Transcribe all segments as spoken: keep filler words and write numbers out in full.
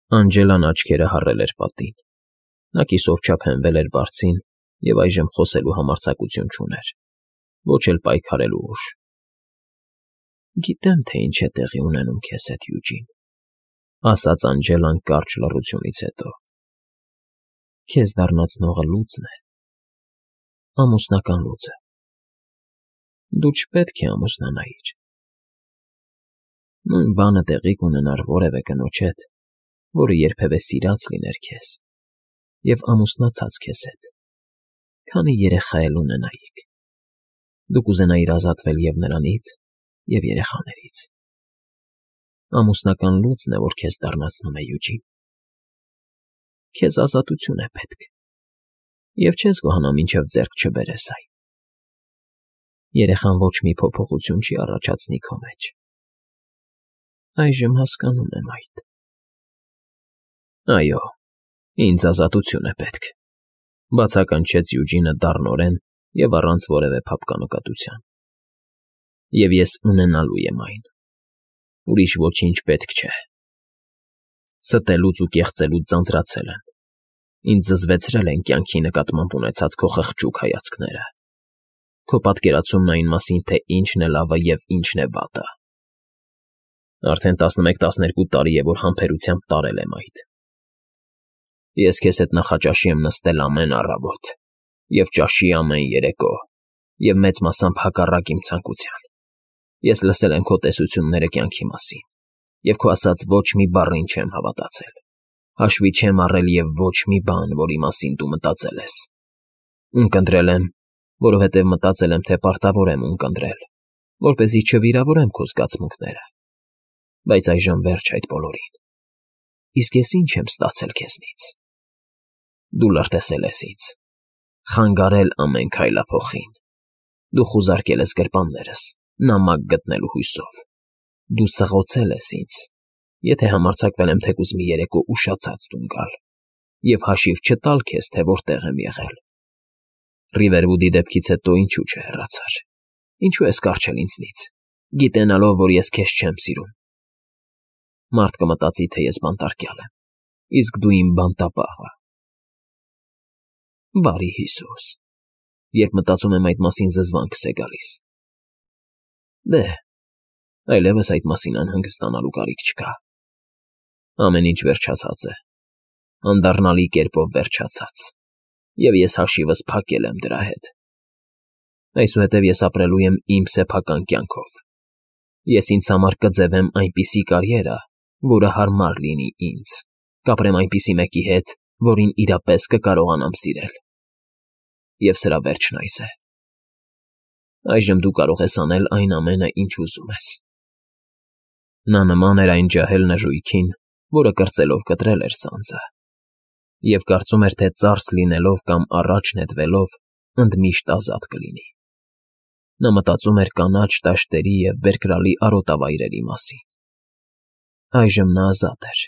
Անջելան աչքերը հառել էր պատին, նա կիսով չափ հենվել էր բարձին և այժմ խոսելու համարձակություն չուներ, ոչ էլ պայքարելու ուժ։ ֊ Գիտեմ, թե ինչ է տեղի ունենում քեզ հետ, Յուջին,֊ ասաց Անջելան կարճ լռությունից հետո։֊ Քեզ դառնացնողը լուծն է, ամուսնական լուծը։ Դու չպետք է ամուսնանայիր։ Նույն բանը տեղի կունենար որևէ կնոջ հետ, որը երբևէ սիրած լիներ քեզ և ամուսնացած քեզ հետ, քանի երեխա էլ ունենայիք, դու կուզենայիր ազատվել և նրանից, և երեխաներից։ Ամուսնական լուծն է, որ քեզ դառնացնում է, Յուջին։ Քեզ ազատություն է պետք, և չես գոհանա, մինչև ձեռք չբերես այն։ Երեխան ոչ մի փոփոխություն չի առաջացնի քո մեջ։ Այժմ հասկանում եմ այդ։ Այո, ինձ ազատություն է պետք,֊ բացականչեց Յուջինը դառնորեն և առանց որևէ փափկանկատության,֊ և ես ունենալու եմ այն, ուրիշ ոչինչ պետք չէ։ Ստելուց ու կեղծելուց ձանձրացել եմ, ինձ զզվեցրել են կյանքի նկատմամբ ունեցած քո խղճուկ հայացքները, քո պատկերացումն այն մասին, թե ինչն է լավը և ինչն է վատը։ Արդեն տասնմեկ֊տասներկու տարի է, որ համբերությամբ տարել եմ այդ։ Ես քեզ հետ նախաճաշի եմ նստել ամեն առավոտ և ճաշի ամեն երեկո և մեծ մասամբ հակառակ իմ ցանկության։ Ես լսել եմ քո տեսությունները կյանքի մասին և քո ասած ոչ մի բառին չեմ հավատացել, հաշվի չեմ առել և ոչ մի բան, որի մասին դու մտածել ես։ Ունկնդրել եմ, որովհետև մտածել եմ, թե պարտավոր եմ ունկնդրել, որպեսզի չվիրավորեմ քո զգացմունքները, բայց այժմ վերջ այդ բոլորին։ Իսկ ես ինչ եմ ստացել քեզնից։ Դու լրտեսել ես ինձ, խանգարել ամեն քայլափոխին, դու խուզարկել ես գրպաններս, նամակ գտնելու հույսով, դու սղոցել ես ինձ, եթե համարձակվել եմ թեկուզ մի երեկո ուշացած տուն գալ և հաշիվ չտալ քեզ, թե որտեղ եմ եղել։ Ռիվերվուդի դեպքից հետո ինչու չհեռացար, ինչու ես կառչել ինձնից, գիտենալով, որ ես քեզ չեմ սիրում։ Մարդ կմտածի, թե ես բանտարկյալ եմ, իսկ դու իմ բանտապահը։ Բարի Հիսուս, երբ մտածում եմ այդ մասին, զզվանքս է գալիս։ Դե, այլևս այդ մասին անհանգստանալու կարիք չկա։ Ամեն ինչ վերջացած է, անդառնալի կերպով վերջացած, և ես հաշիվս փակել եմ դրա հետ։ Այսուհետև ես ապրելու եմ իմ սեփական կյանքով։ Ես ինձ համար կձևեմ այնպիսի կարիերա, որը հարմար լինի ինձ, կապրեմ այնպիսի մեկի հետ, որին իրապես կկարողանամ սիրել։ Եվ սրա վերջն այս է։ Այժմ դու կարող ես անել այն ամենը, ինչ ուզում ես։ Նա նման էր այն ջահել նժույգին, որը կրծելով կտրել էր սանձը, և կարծում էր, թե ծարս լինելով կամ առաջ նետվելով ընդմիշտ ազատ կլինի։ Նա մտածում էր կանաչ դաշտերի և բերկրալի արոտավայրերի մասին։ Այժմ նա ազատ էր,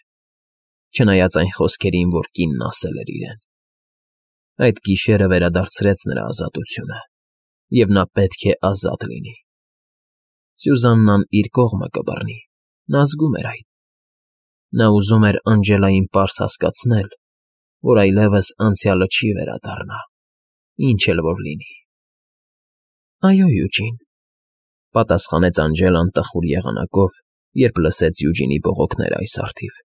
չնայած այն խոսքերին, որ կինն ասել էր իրեն։ Այդ գիշերը վերադարձրեց նրա ազատությունը, և նա պետք է ազատ լինի։ Սյուզաննան իր կողմը կբռնի, նա զգում էր այդ։ Նա ուզում էր Անջելային պարզ հասկացնել, որ այլևս անցյալը չի վերադառնա, ինչ էլ որ լինի։ ֊ Այո, Յուջին,֊ պատասխանեց Անջելան տխուր եղանակով, երբ լսեց Յուջինի բողոքները այս առթիվ։ ֊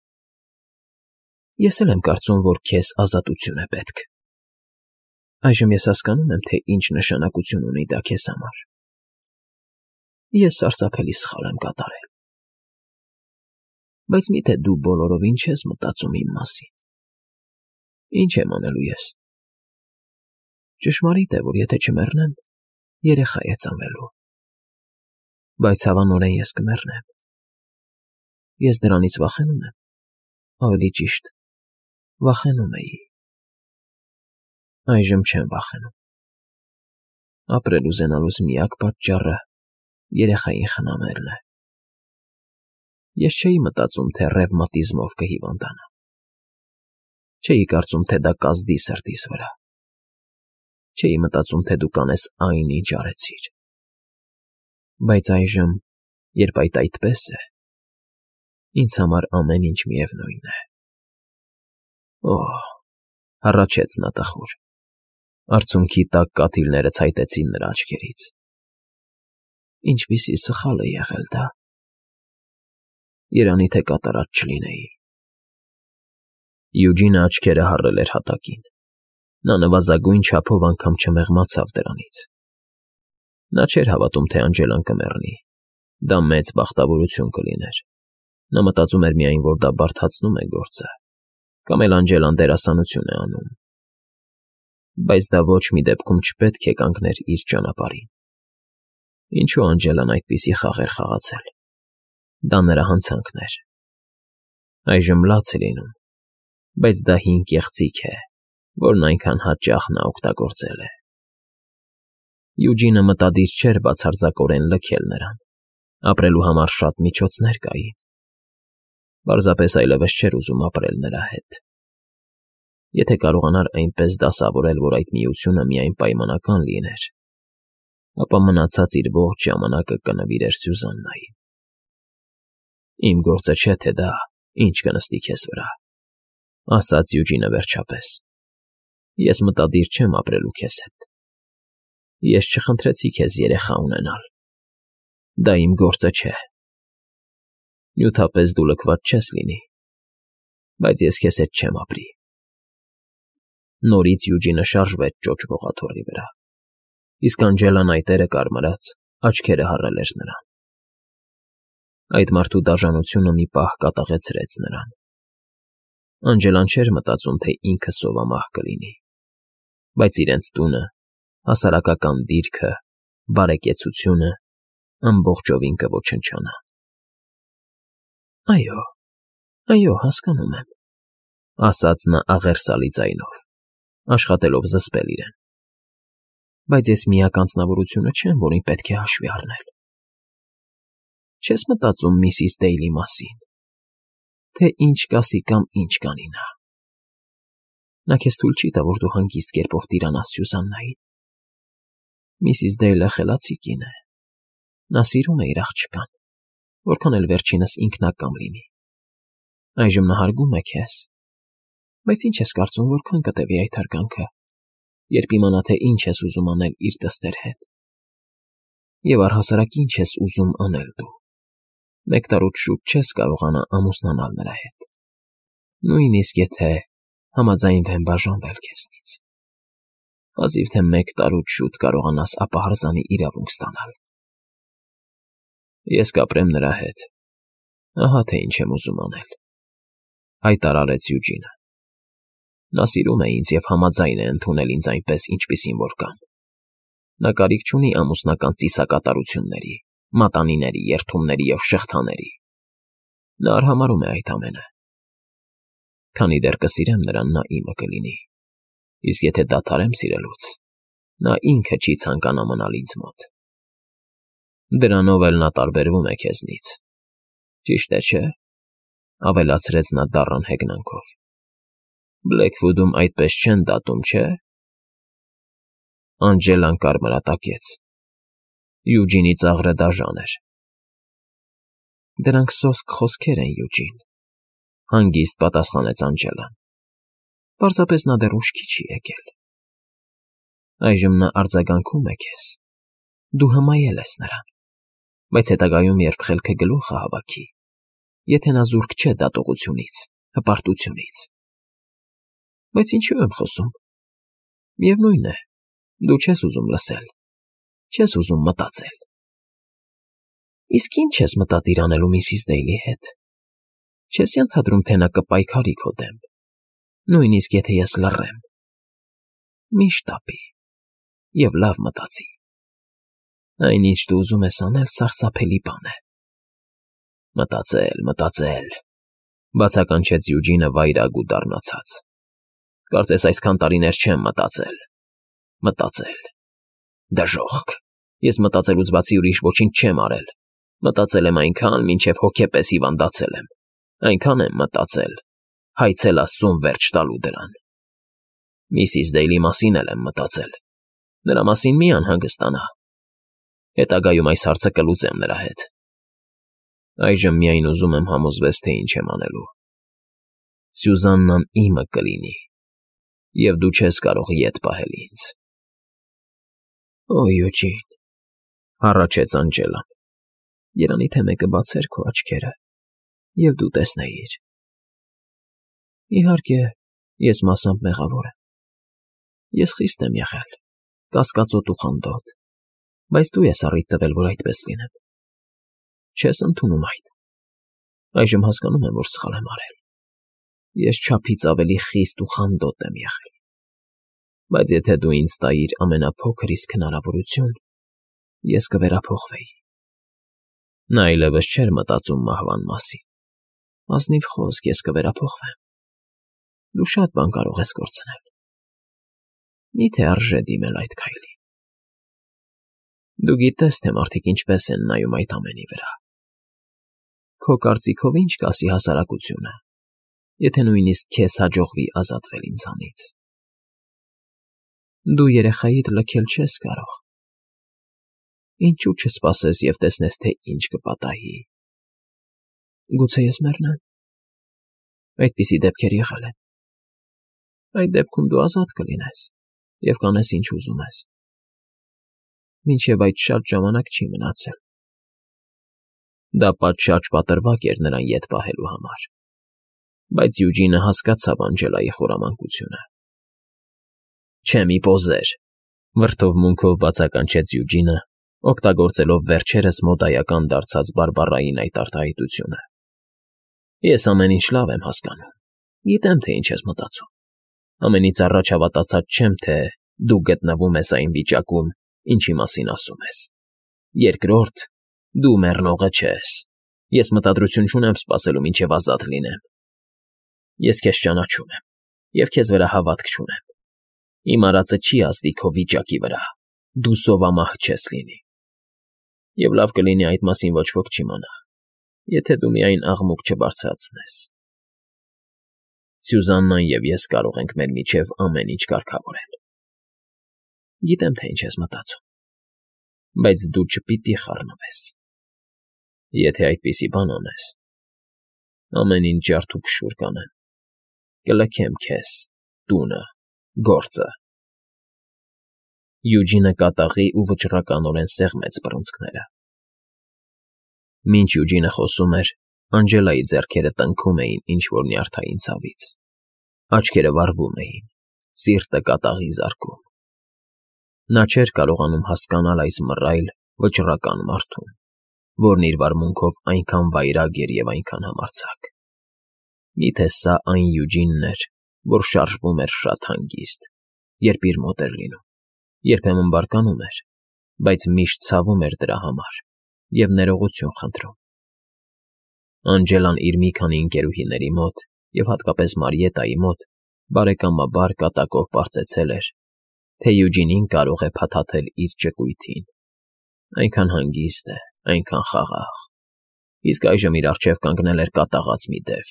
Ես էլ եմ կարծում, որ քեզ ազատություն է պետք։ Այժմ ես հասկանում եմ, թե ինչ նշանակություն ունի դա քեզ համար։ Ես սարսափելի սխալ եմ կատարել։ Բայց մի՞թե դու բոլորովին չես մտածում իմ մասին։ Ինչ եմ անելու ես։ Ճշմարիտ է, որ եթե չմեռնեմ, երեխա է ծնվելու։ Բայց հավանորեն ես կմեռնեմ։ Ես դրանից վախենում եմ, ավելի ճիշտ, վախենում էի։ Այժմ չեմ վախենում։ Ապրել ուզենալուս միակ պատճառը երեխային խնամելն է։ Ես չէի մտածում, թե ռևմատիզմով կհիվանդանամ։ Չէի կարծում, թե դա կազդի սրտիս վրա։ Չէի մտածում, թե դու կանես այն, ինչ արեցիր։ Բայց այժմ, երբ այդ այդպես է, ինձ համար ամեն ինչ միևնույն է։ Օհ, հառաչեց նա տխուր։ Արցունքի տակ կաթիլները ցայտեցին նրա աչքերից։ Ինչպիսի սխալ է եղել դա։ Երանի թե կատարած չլինեի։ Յուջինը աչքերը հառել էր հատակին։ Նա նվազագույն չափով անգամ չմեղմացավ դրանից։ Նա չէր հավատում, թե Անջելան կմեռնի։ Դա մեծ բախտավորություն կլիներ։ Նա մտածում էր միայն, որ դա բարդացնում է գործը, կամ էլ Անջելան դերասանություն է անում։ Բայց դա ոչ մի դեպքում չպետք է կանգներ իր ճանապարհին։ Ինչու Անջելան այդպիսի խաղ էր խաղացել։ Դա նրա հանցանքն էր։ Այժմ լաց է լինում, բայց դա հին կեղծիք է, որն այնքան հաճախ նա օգտագործել է։ Յուջինը մտադիր չէր բացարձակորեն լքել նրան։ Ապրելու համար շատ միջոցներ կային։ Պարզապես այլևս չէր ուզում ապրել նրա հետ։ Եթե կարողանար այնպես դասավորել, որ այդ միությունը միայն պայմանական լիներ, ապա մնացած իր ողջ ժամանակը կնվիրեր Սյուզաննային։ Իմ գործը չէ, թե դա ինչ կնստի քեզ վրա, ասաց Յուջինը վերջապես։ Ես մտադիր չեմ ապրելու քեզ հետ։ Ես չխնդրեցի քեզ երեխա ունենալ։ Դա իմ գործը չէ։ Նյութապես դու լքված չես լինի, բայց ես քեզ հետ չեմ ապրի։ Նորից Յուջինը շարժվեց ճոճ ողաթոռի վրա, իսկ Անջելան այտերը կարմրած, աչքերը հառել էր նրան։ Այդ մարդու դաժանությունը մի պահ կատաղեցրեց նրան։ Անջելան չէր մտածում, թե ինքը սովամահ կլինի, բայց իրենց տունը, հասարակական դիրքը, բարեկեցությունը ամբողջովին կոչնչանա։ Այո, այո, հասկանում եմ, ասաց նա աղերսալի ձայնով, աշխատելով զսպել իրեն։ Բայց ես միակ անձնավորությունը չեմ, որին պետք է հաշվի առնել։ Չես մտածում միսիս Դեյլի մասին, թե ինչ կասի կամ ինչ կանի նա։ Նա քեզ թույլ չի տա, որ դու հանգիստ կերպով տիրանաս Սյուզաննային։ Միսիս Դեյլը խելացի կին է։ Նա սիրում է իր աղջկան, որքան էլ վերջինս ինքնակամ լինի։ Այժմ նա հարգում է քեզ, բայց ինչ ես կարծում, որքան կտևի այդ հարգանքը, երբ իմանա, թե ինչ ես ուզում անել իր դստեր հետ։ Եվ առհասարակ ինչ ես ուզում անել դու։ Մեկ տարուց շուտ չես կարողանա ամուսնանալ նրա հետ։ Նույնիսկ եթե համաձայնվեն բաժանվել քեզնից։ Հազիվ թե մեկ տարուց շուտ կարողանաս ապահարզանի իրավունք ստանալ։ Ես կապրեմ նրա հետ։ Ահա թե ինչ եմ ուզում անել, հայտարարեց Յուջինը։ Նա սիրում է ինձ և համաձայն է ընդունել ինձ այնպես, ինչպիսին որ կամ։ Նա կարիք չունի ամուսնական ծիսակատարությունների, մատանիների, երդումների և շղթաների։ Նա արհամարհում է այդ ամենը։ Քանի դեռ կսիրեմ նրան, նա իմը կլինի, իսկ եթե դադարեմ սիրելուց, նա ինքը չի ցանկանա մնալ ինձ մոտ։ Դրանով էլ նա տարբերվում է քեզնից, ճիշտ է, չէ՞, ավելացրեց նա դառն հեգնանքով։ Բլեքվուդում այդպես չեն դատում, չէ՞։ Անջելան կարմրատակեց։ Յուջինի ծաղրը դաժան էր։ Դրանք սոսկ խոսքեր են, Յուջին, հանգիստ պատասխանեց Անջելան։ Պարզապես նա դեռ ուշքի չի եկել։ Այժմ նա արձագանքում է քեզ։ Դու հմայել ես նրան, բայց հետագայում, երբ խելքը գլուխը հավաքի, եթե նա զուրկ չէ դատողությունից, հպարտությունից։ Բայց ինչու եմ խոսում։ Միևնույն է, դու չես ուզում լսել, չես ուզում մտածել։ Իսկ ինչ ես մտադիր անելու միսիս Դեյլի հետ։ Չես ենթադրում, թե նա կպայքարի քո դեմ, նույնիսկ եթե ես լռեմ։ Մի շտապի և լավ մտածի։ Այն, ինչ դու ուզում ես անել, սարսափելի բան է։ Մտածել, մտածել, բացականչեց Յուջինը վայրագու դառնացած։ Կարծես այսքան տարիներ չեմ մտածել։ Մտածել։ Դժոխք։ Ես մտածելուց բացի ուրիշ ոչինչ չեմ արել։ Մտածել եմ այնքան, մինչև հոգեպես հիվանդացել եմ։ Այնքան եմ մտածել, հայցել Աստծուն վերջ տալու դրան։ Միսիս Դեյլի մասին էլ եմ մտածել։ Նրա մասին մի անհանգստանա։ Հետագայում այս հարցը կլուծեմ նրա հետ։ Այժմ միայն ուզում եմ համոզվես, թե ինչ եմ անելու։ Սյուզաննան իմը կլինի, և դու չես կարող ետ պահել ինձ։ Օ, Յուջին, հառաչեց Անջելան, երանի թե մեկը բացեր քո աչքերը, և դու տեսնեիր։ Իհարկե, ես մասամբ մեղավոր եմ։ Ես խիստ եմ եղել, կասկածոտ ու խանդոտ, բայց դու ես առիթ տվել, որ այդպես լինեմ։ Չես ընդունում այդ։ Այժմ հասկանում եմ, որ սխալ եմ արել։ Ես չափից ավելի խիստ ու խանդոտ եմ եղել։ Բայց եթե դու ինձ տայիր ամենափոքր իսկ հնարավորություն, ես կվերափոխվեի։ Նա այլևս չէր մտածում մահվան մասին։ Ազնիվ խոսք, ես կվերափոխվեմ։ Դու շատ բան կարող ես կորցնել։ Մի՞թե արժե դիմել այդ քայլին։ Դու գիտես, թե մարդիկ ինչպես են նայում այդ ամենի վրա։ Քո կարծիքով ինչ կասի հասարակությունը, եթե նույնիսկ քեզ հաջողվի ազատվել ինձանից։ Դու երեխայիդ լքել չես կարող։ Ինչու չսպասես և տեսնես, թե ինչ կպատահի։ Գուցե ես մեռնեմ։ Այդպիսի դեպքեր եղել են։ Այդ դեպքում դու ազատ կլինես և կանես ինչ ուզում ես։ Մինչև այդ շատ ժամանակ չի մնացել։ Դա պատշաճ պատրվակ էր նրան ետ պահելու համար։ Բայց Յուջինը հասկացավ Անջելայի խորամանկությունը։ Չէ, մի պոզեր, վրդովմունքով բացականչեց Յուջինը, օգտագործելով վերջերս մոդայական դարձած բարբառային այդ արտահայտությունը։ Ես ամեն ինչ լավ եմ հասկանում։ Գիտեմ, թե ինչ ես մտածում։ Ամենից առաջ հավատացած չեմ, թե դու գտնվում ես այն վիճակում, ինչի մասին ասում ես։ Երկրորդ, դու մեռնողը չես։ Ես մտադրություն չունեմ սպասելու, մինչև ազատ լինեմ։ Ես քեզ ճանաչում եմ և քեզ վրա հավատք չունեմ։ Իմ արածը չի ազդի քո վիճակի վրա։ Դու սովամահ չես լինի։ Եվ լավ կլինի այդ մասին ոչ ոք չիմանա, եթե դու միայն աղմուկ չբարձրացնես։ Սյուզաննան և ես կարող ենք մեր միջև ամեն ինչ կարգավորել։ Գիտեմ, թե ինչ ես մտածում, բայց դու չպիտի խառնվես։ Եթե այդպիսի բան անես, ամեն ինչ ջարդուփշուր կանեմ, կլքեմ քեզ, տունը, գործը։ Յուջինը կատաղի ու վճռականորեն սեղմեց բռունցքները։ Մինչ Յուջինը խոսում էր, Անջելայի ձեռքերը տնքում էին ինչ-որ նյարդային ցավից։ Աչքերը վառվում էին, սիրտը կատաղի զարկում։ Նա չէր կարողանում հասկանալ այս մռայլ, վճռական մարդուն, որն իր վարմունքով այնքան վայրագ էր և այնքան համարձակ։ Միթե սա այն Յուջինն էր, որ շարժվում էր շատ հանգիստ, երբ իր մոտ էր լինում, երբեմն բարկանում էր, բայց միշտ ցավում էր դրա համար և ներողություն խնդրում։ Անջելան իր մի քանի ընկերուհիների մոտ և հատկապես Մարիետայի մոտ բարեկամաբար կատակով պարծեցել էր, թե Յուջինին կարող է փաթաթել իր ճկույթին։ Այնքան հանգիստ է, այնքան խաղաղ։ Իսկ այժմ իր առջև կանգնել էր կատաղած մի դև,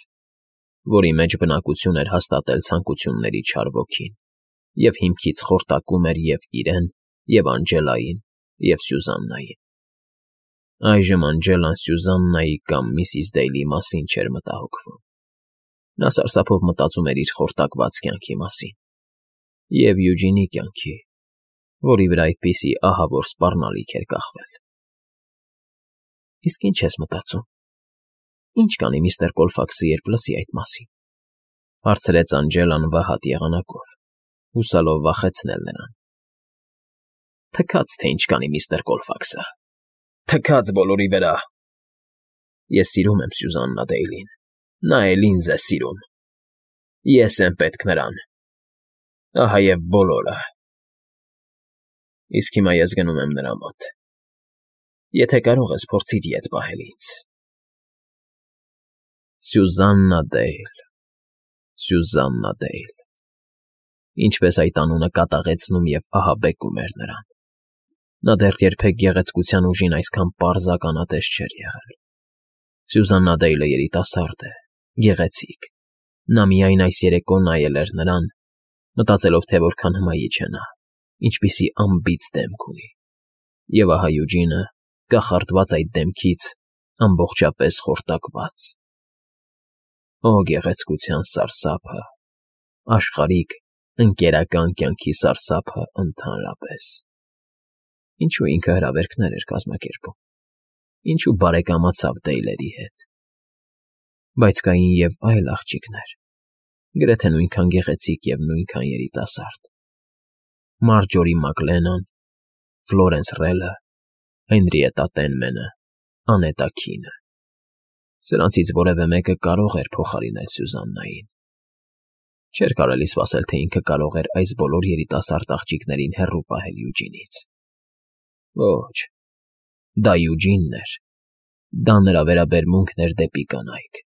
որի մեջ բնակություն էր հաստատել ցանկությունների չար ոգին, և հիմքից խորտակում էր և իրեն, և Անջելային, և Սյուզաննային։ Այժմ Անջելան Սյուզաննայի կամ միսիս Դեյլի մասին չէր մտահոգվում։ Նա սարսափով մտածում էր իր խորտակված կյանքի մասին և Յուջինի կյանքի, որի վրա այդպիսի ահավոր սպառնալիք էր կախվել։ Իսկ ինչ ես մտածում։ Ինչ կանի միստր Կոլֆաքսը, երբ լսի այդ մասին, հարցրեց Անջելան վհատ եղանակով, հուսալով վախեցնել նրան։ Թքած, թե ինչ կանի միստր Կոլֆաքսը։ Թքած բոլորի վրա։ Ես սիրում եմ Սյուզաննա Դեյլին, նա էլ ինձ է սիրում։ Ես եմ պետք նրան։ Ահա և բոլորը։ Իսկ հիմա ես գնում եմ նրա մոտ։ Եթե կարող ես, փորձիր ետ պահել ինձ։ Սյուզաննա Դեյլ, Սյուզաննա Դեյլ։ Ինչպես այդ անունը կատաղեցնում և ահաբեկում էր նրան։ Նա դեռ երբեք գեղեցկության ուժին այսքան պարզ ականատես չէր եղել։ Սյուզաննա Դեյլը երիտասարդ է, գեղեցիկ։ Նա միայն այս երեկո նայել էր նրան, մտածելով, թե որքան հմայիչ է նա, ինչպիսի անբիծ դեմք ունի։ Եվ ահա Յուջինը, կախարդված այդ դեմքից, ամբողջապես խորտակված։ Օ գեղեցկության սարսափը, աշխարհիկ, ընկերական կյանքի սարսափը ընդհանրապես… Ինչու ինքը հրավերքներ էր կազմակերպում, ինչու բարեկամացավ Դեյլերի հետ… Բայց կային և այլ աղջիկներ, գրեթե նույնքան գեղեցիկ և նույնքան երիտասարդ. Մարջորի Մակլենան, Ֆլորենս Ռելը, Հենրիետտա Տենմենը, Անետա Քինը… Սրանցից որևէ մեկը կարող էր փոխարինել Սյուզաննային… Չէր կարելի սպասել, թե ինքը կարող էր այս բոլոր երիտասարդ աղջիկներին հեռու պահել Յուջինից… Ոչ, դա Յուջինն էր, դա նրա վերաբերմունքն էր դեպի կանայք…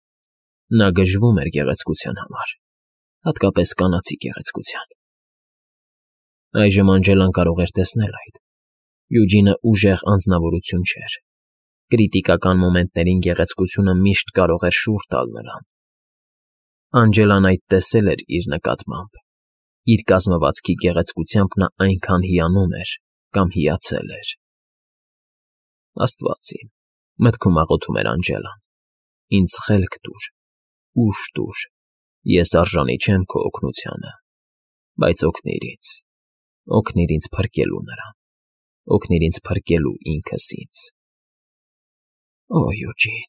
Նա գժվում էր գեղեցկության համար, հատկապես կանացի գեղեցկության… Այժմ Անջելան կարող էր տեսնել այդ… Յուջինը ուժեղ անձնավորություն չէր, կրիտիկական մոմենտներին գեղեցկությունը միշտ կարող էր շուռ տալ նրան… Անջելան այդ տեսել էր իր նկատմամբ, իր կազմվածքի գեղեցկությամբ նա այնքան հիանում էր կամ հիացել էր… Աստված իմ, մտքում աղոթում էր Անջելան, ինձ խելք տուր, ուժ տուր, ես արժանի չեմ քո օգնությանը, բայց օգնիր ինձ, օգնիր ինձ փրկելու նրան, օգնիր ինձ փրկելու ինքս ինձ… Օ Յուջին…֊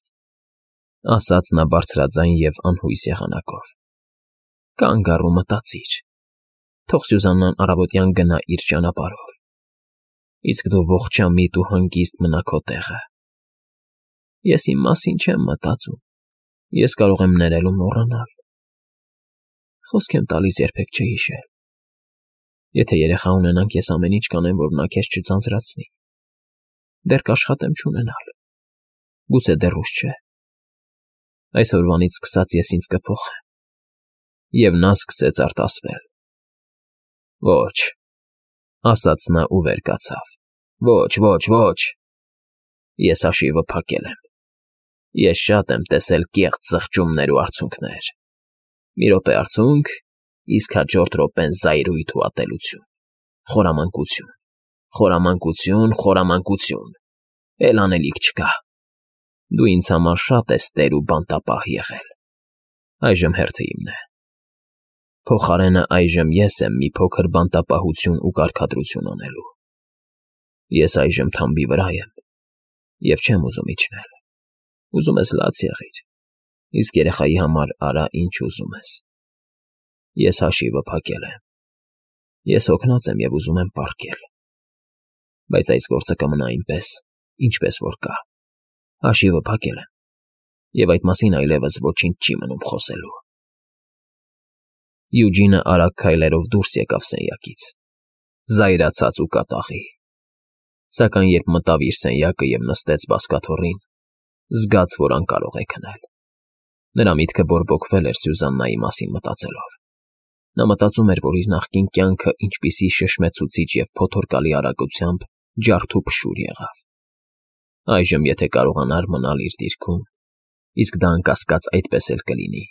ասաց նա բարձրաձայն և անհույս եղանակով։֊ Կանգ առ ու մտածիր, թող Սյուզաննան առավոտյան գնա իր ճանապարհով, իսկ դու ողջամիտ ու հանգիստ մնա քո տեղը… Ես իմ մասին չեմ մտածում, ես կարող եմ ներել ու մոռանալ… Խոսք եմ տալիս երբեք չհիշել… Եթե երեխա ունենանք, ես ամեն ինչ կանեմ, որ նա քեզ չձանձրացնի… Դեռ կաշխատեմ չունենալ… Գուցե դեռ ուշ չէ… Այսօրվանից սկսած ես ինձ կփոխեմ… Եվ նա սկսեց արտասվել… Ոչ…֊ ասաց նա ու վեր կացավ…֊ Ոչ, ոչ, ոչ… Ես հաշիվը փակել եմ… Ես շատ եմ տեսել կեղծ զղջումներ ու արցունքներ… Մի րոպե արցունք, իսկ հաջորդ րոպեն զայրույթ ու ատելություն… Խորամանկություն… Խորամանկություն… Խորամանկություն… Էլ անելիք չկա… Դու ինձ համար շատ ես տեր ու բանտապահ եղել… Այժմ հերթը իմն է… Փոխարենը այժմ ես եմ մի փոքր բանտապահություն ու կարգադրություն անելու… Ես այժմ թամբի վրա եմ և չեմ ուզում իջնել… Ուզում ես լաց եղիր, իսկ երեխայի համար արա ինչ ուզում ես… Ես հաշիվը փակել եմ… Ես հոգնած եմ և ուզում եմ պառկել… Բայց այս գործը կմնա այնպես, ինչպես որ կա… Հաշիվը փակել եմ, և այդ մասին այլևս ոչինչ չի մնում խոսելու… Յուջինը արագ քայլերով դուրս եկավ սենյակից, զայրացած ու կատաղի… Սակայն երբ մտավ իր սենյակը և նստեց բազկաթոռին, զգաց, որ անկարող է քնել… Նրա միտքը բորբոքվել էր Սյուզաննայի մասին մտածելով… Նա մտածում էր, որ իր նախկին կյանքը ինչպիսի շշմեցուցիչ և փոթորկալի արագությամբ ջարդուփշուր եղավ… Այժմ եթե կարողանար մնալ իր դիրքում, իսկ դա անկասկած այդպես էլ կլինի,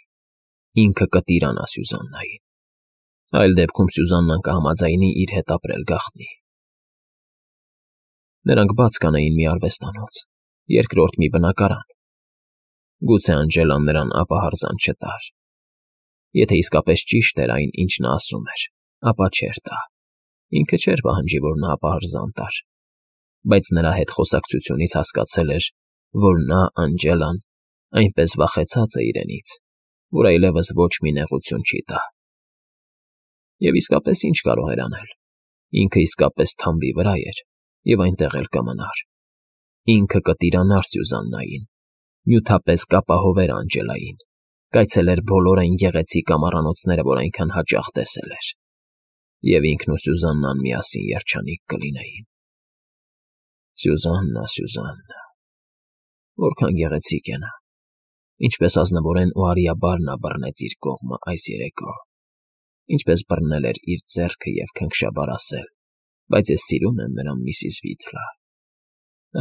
ինքը կտիրանա Սյուզաննային… Այլ դեպքում Սյուզաննան կհամաձայնի իր հետ ապրել գաղտնի… Նրանք բաց կանեին մի արվեստանոց, երկրորդ մի բնակարան… Գուցե Անջելան նրան ապահարզան չտար… Եթե իսկապես ճիշտ էր այն, ինչ նա ասում էր, ապա չէր տա… Ինքը չէր պահանջի, որ նա ապահարզան տար… Բայց նրա հետ խոսակցությունից հասկացել էր, որ նա, Անջելան, այնպես վախեցած է իրենից, որ այլևս ոչ մի նեղություն չի տա… Եվ իսկապես ի՞նչ կարող էր անել… Ինքը իսկապես թամբի վրա էր և այնտեղ էլ կմնար… Ինքը կտիրանար Սյուզաննային, նյութապես կապահովեր Անջելային, կայցելեր բոլոր այն գեղեցիկ ամառանոցները, որ այնքան հաճախ տեսել էր… Եվ ինքն ու Սյուզաննան միասին երջանիկ կլինեին… Սյուզաննա, Սյուզաննա… Որքան գեղեցիկ է նա… Ինչպես ազնվորեն ու արիաբար նա բռնեց իր կողմը այս երեկո… Ինչպես բռնել էր իր ձեռքը և քնքշաբար ասել. «Բայց ես սիրում եմ նրան, միսիս Վիթլա»…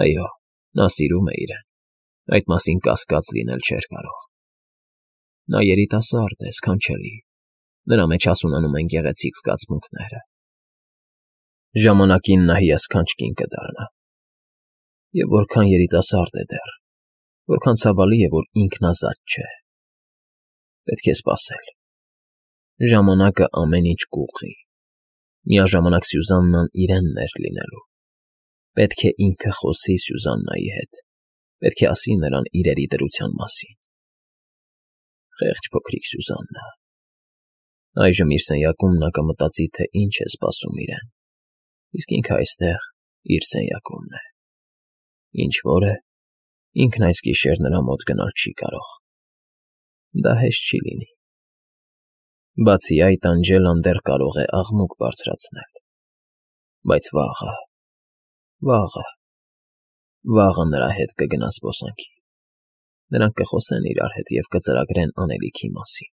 Այո, նա սիրում է իրեն, այդ մասին կասկած լինել չէր կարող… Նա երիտասարդ է, սքանչելի, նրա մեջ հասունանում են գեղեցիկ զգացմունքները… Ժամանակին նա հիասքանչ կին կդառնա… Եվ որքան երիտասարդ է դեռ… Որքան ցավալի է, որ ինքն ազատ չէ… Պետք է սպասել։ Ժամանակը ամեն ինչ կուղղի։ Միաժամանակ Սյուզաննան իրենն էր լինելու։ Պետք է ինքը խոսի Սյուզաննայի հետ, պետք է ասի նրան իրերի դրության մասին։ Խեղճ փոքրիկ Սյուզաննա… Այժմ իր սենյակում նա կմտածի, թե ինչ է սպասում իրեն, իսկ ինքը այստեղ իր սենյակումն է։ Ինչ֊որ է, ինքն այս գիշեր նրա մոտ գնալ չի կարող։ Դա հեշտ չի լինի։ Բացի այդ, Անջելան դեռ կարող է աղմուկ բարձրացնել։ Բայց վաղը, վաղը… Վաղը նրա հետ կգնա զբոսանքի։ Նրանք կխոսեն իրար հետ և կծրագրեն անելիքի մասին։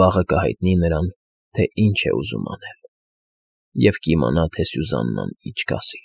Վաղը կհայտնի նրան, թե ինչ է ուզում անել, և կիմանա, թե Սյուզաննան ինչ կասի։